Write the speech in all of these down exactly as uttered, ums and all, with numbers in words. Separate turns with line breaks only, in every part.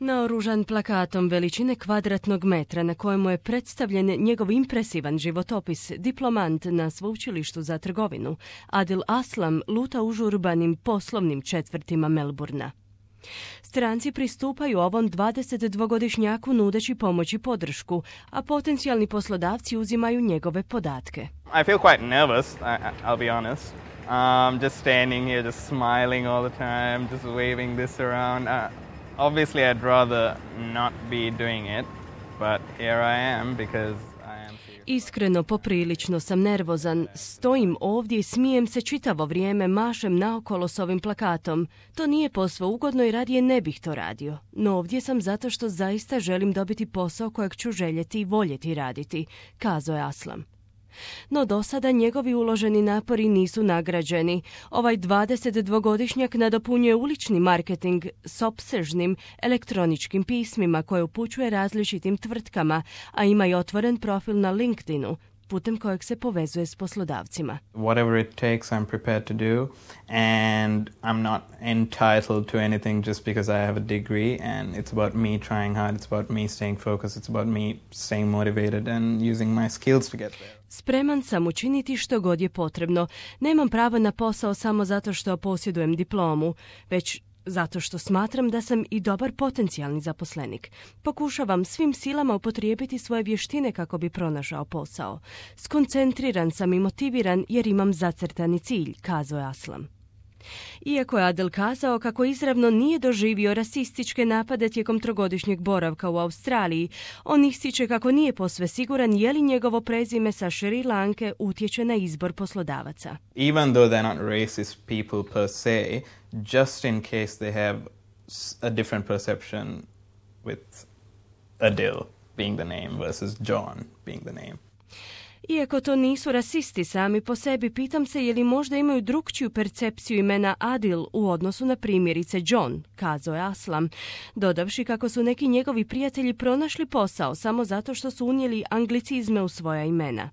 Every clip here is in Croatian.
Naoružan plakatom veličine kvadratnog metra na kojemu je predstavljen njegov impresivan životopis, diplomant na sveučilištu za trgovinu, Adil Aslam luta užurbanim poslovnim četvrtima Melburna. Stranci pristupaju ovom dvadesetdvogodišnjaku nudeći pomoć i podršku, a potencijalni poslodavci uzimaju njegove podatke.
I feel quite nervous, I, I'll be honest. Um, just standing here, just smiling all the time, just waving this around. Uh, obviously I'd rather not be doing it, but here I am because
Iskreno, poprilično sam nervozan. Stojim ovdje i smijem se čitavo vrijeme, mašem naokolo s ovim plakatom. To nije posve ugodno i radije ne bih to radio. No ovdje sam zato što zaista želim dobiti posao kojeg ću željeti i voljeti raditi, kazao je Aslam. No do sada njegovi uloženi napori nisu nagrađeni. Ovaj dvadesetdvogodišnjak nadopunjuje ulični marketing s opsežnim elektroničkim pismima koje upućuje različitim tvrtkama, a ima i otvoren profil na LinkedInu, putem kojeg se povezuje s poslodavcima.
Whatever it takes, I'm prepared to do, and I'm not entitled to anything just because I have a degree, and it's about me trying hard, it's about me staying focused, it's about me staying motivated and using my skills to get there.
Spreman sam učiniti što god je potrebno. Nemam pravo na posao samo zato što posjedujem diplomu, već zato što smatram da sam i dobar potencijalni zaposlenik. Pokušavam svim silama upotrijebiti svoje vještine kako bi pronašao posao. Skoncentriran sam i motiviran jer imam zacrtani cilj, kazao je Aslam. Iako je Adil kazao kako izravno nije doživio rasističke napade tijekom trogodišnjeg boravka u Australiji, on ističe kako nije posve siguran je li njegovo prezime sa Šri Lanke utječe na izbor poslodavaca.
Even though they're not racist people per se, just in case they have a different perception with Adil being the name versus John being the name.
Iako to nisu rasisti sami po sebi, pitam se je li možda imaju drukčiju percepciju imena Adil u odnosu na primjerice John, kazao je Aslam, dodavši kako su neki njegovi prijatelji pronašli posao samo zato što su unijeli anglicizme u svoja imena.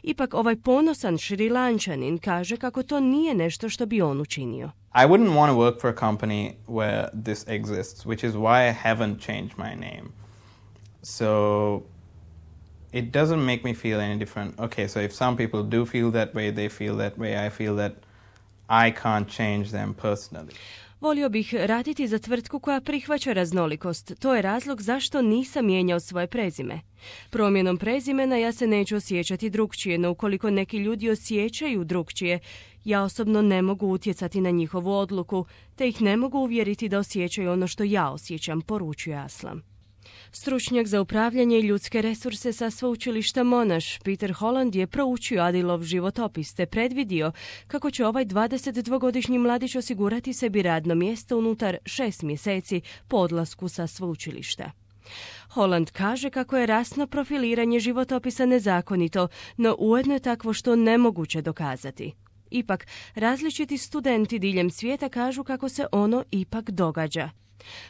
Ipak ovaj ponosan Šrilančanin kaže kako to nije nešto što bi on učinio.
I wouldn't want to work for a company where this exists, which is why I haven't changed my name. So it doesn't make me feel any different. Okay, so if some people do feel that way, they feel that way, I feel that I can't change them personally.
Volio bih raditi za tvrtku koja prihvaća raznolikost. To je razlog zašto nisam mijenjao svoje prezime. Promjenom prezimena ja se neću osjećati drukčije, no ukoliko neki ljudi osjećaju drukčije, ja osobno ne mogu utjecati na njihovu odluku, te ih ne mogu uvjeriti da osjećaju ono što ja osjećam, poručuje Aslam. Stručnjak za upravljanje i ljudske resurse sa sveučilišta Monash, Peter Holland, je proučio Adilov životopis te predvidio kako će ovaj dvadesetdvogodišnji mladić osigurati sebi radno mjesto unutar šest mjeseci po odlasku sa sveučilišta. Holland kaže kako je rasno profiliranje životopisa nezakonito, no ujedno je takvo što nemoguće dokazati. Ipak, različiti studenti diljem svijeta kažu kako se ono ipak događa.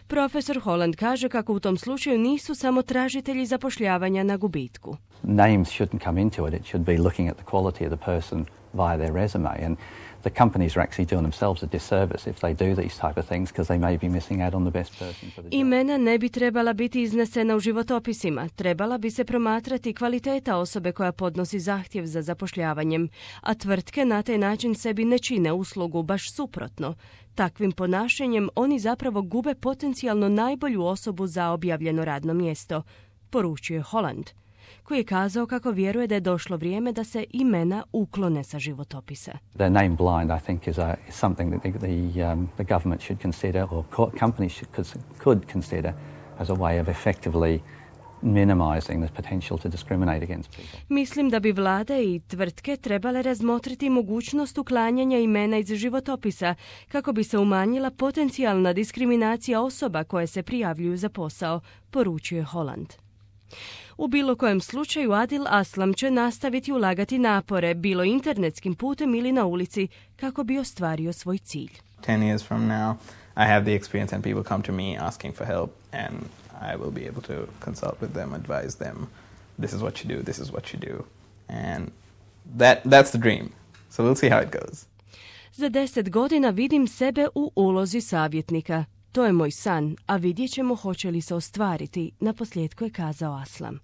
Profesor Holland kaže kako u tom slučaju nisu samo tražitelji zapošljavanja na gubitku.
Names shouldn't come into it. It should be looking at the quality of the person via their resume. And the companies are actually doing themselves a disservice if they do these type of things because they may be missing out on the best person for the job.
Imena ne bi trebala biti iznesena u životopisima. Trebala bi se promatrati kvaliteta osobe koja podnosi zahtjev za zapošljavanjem, a tvrtke na taj način sebi ne čine uslugu, baš suprotno. Takvim ponašanjem oni zapravo gube potencijalno najbolju osobu za objavljeno radno mjesto, poručuje Holland, koji je kazao kako vjeruje da je došlo vrijeme da se imena uklone sa životopisa.
The name blind, I think, is, a, is something that the, the, um, the government should consider, or co- companies should, could, could consider as a way of effectively minimizing the potential to discriminate against people.
Mislim da bi vlade i tvrtke trebale razmotriti mogućnost uklanjanja imena iz životopisa kako bi se umanjila potencijalna diskriminacija osoba koje se prijavljuju za posao, poručuje Holland. U bilo kojem slučaju Adil Aslam će nastaviti ulagati napore, bilo internetskim putem ili na ulici, kako bi ostvario svoj cilj.
Ten years from now, I have the experience and people come to me asking for help and I will be able to consult with them, advise them, this is what you do, this is what you do. And that, that's the dream. So we'll see how it goes.
Za deset godina vidim sebe u ulozi savjetnika. To je moj san, a vidjet ćemo hoće li se ostvariti, naposljetku je kazao Aslam.